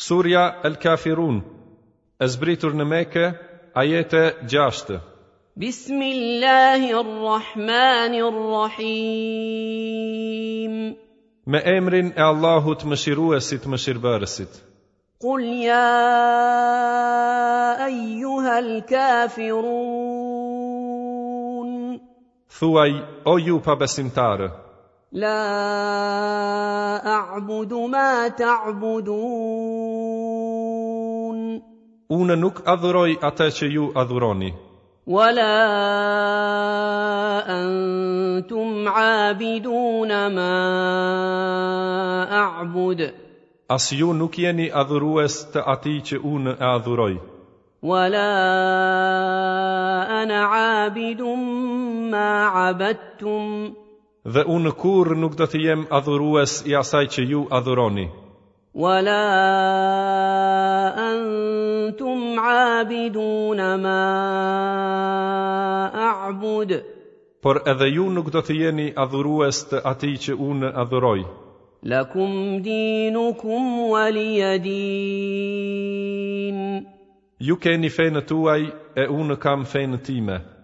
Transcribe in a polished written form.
Surja El Kafirun, e zbritur në Mekë, ajete 6. Bismillahirrahmanirrahim. Me emrin e Allahut Mëshiruesit Mëshirbërësit. Qul ya ayyuhal kafirun. Thuaj, o ju pabesimtarë. La a'budu ma ta'budun. Unë nuk adhuroj atë që ju adhuroni. Wala antum 'abidun ma a'bud. As ju nuk jeni adhurues të atij që unë e adhuroj. Wala ana 'abidun ma 'abadtum. Dhe unë kurrë nuk do të jem adhurues i asaj që ju adhuroni. Wala antum 'abidun ma a'bud. Por edhe ju nuk do të jeni adhurues të atij që unë adhuroj. Lakum dinukum waliya din. Ju keni fenë tuaj e unë kam fenë time.